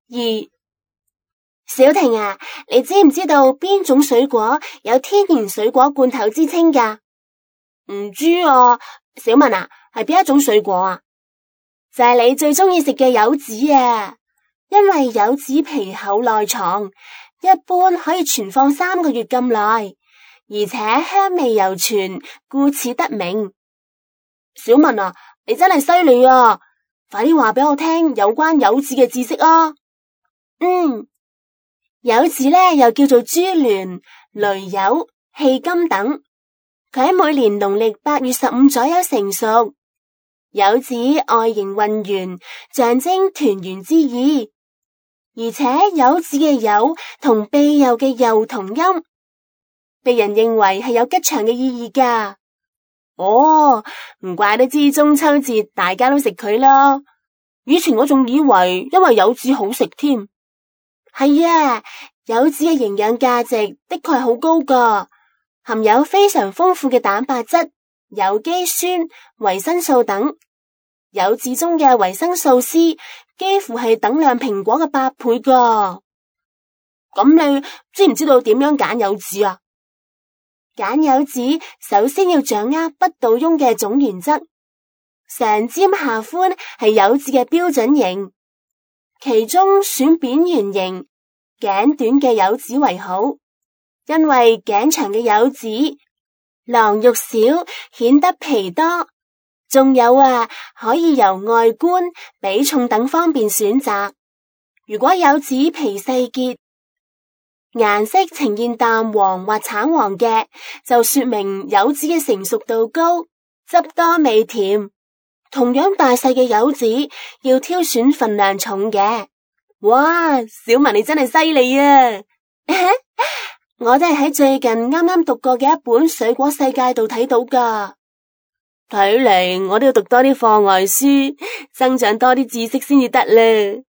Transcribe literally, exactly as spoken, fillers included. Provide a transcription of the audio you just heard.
二，小婷啊，你知唔知道邊種水果有天然水果罐頭之稱㗎？唔知啊，小文啊，係邊一種水果啊？就係你最中意食嘅柚子啊，因為柚子皮厚內藏，一般可以存放三個月咁耐，而且香味猶存，故此得名。小文啊，你真係犀利啊！快啲話俾我聽有關柚子嘅知識啊！嗯，柚子呢又叫做珠聯、雷柚、氣柑等，佢喺每年農曆八月十五左右成熟。柚子外形渾圓，象徵團圓之意，而且柚子嘅柚同庇佑嘅佑同音，被人認為係有吉祥嘅意義㗎。哦，唔怪得知中秋節大家都食佢啦。以前我仲以為因為柚子好食添。係啊，柚子嘅營養價值的確係好高㗎，含有非常豐富嘅蛋白質、有機酸、維生素等。柚子中嘅維生素 C 幾乎係等量蘋果嘅八倍㗎。咁你知唔知道點樣揀柚子啊？揀柚子首先要掌握不倒翁嘅總原則，上尖下寬係柚子嘅標準型，其中選扁圓形、頸短嘅柚子為好，因為頸長嘅柚子囊肉少，顯得皮多。仲有啊，可以由外觀、比重等方面選擇。如果柚子皮細結，顏色呈現淡黃或橙黃嘅，就說明柚子嘅成熟度高，汁多味甜。同樣大細嘅柚子要挑選份量重嘅。哇，小文你真係犀利啊！我都係喺最近啱啱讀過嘅一本《水果世界》度睇到噶。睇嚟我都要讀多啲課外書，增長多啲知識先至得啦。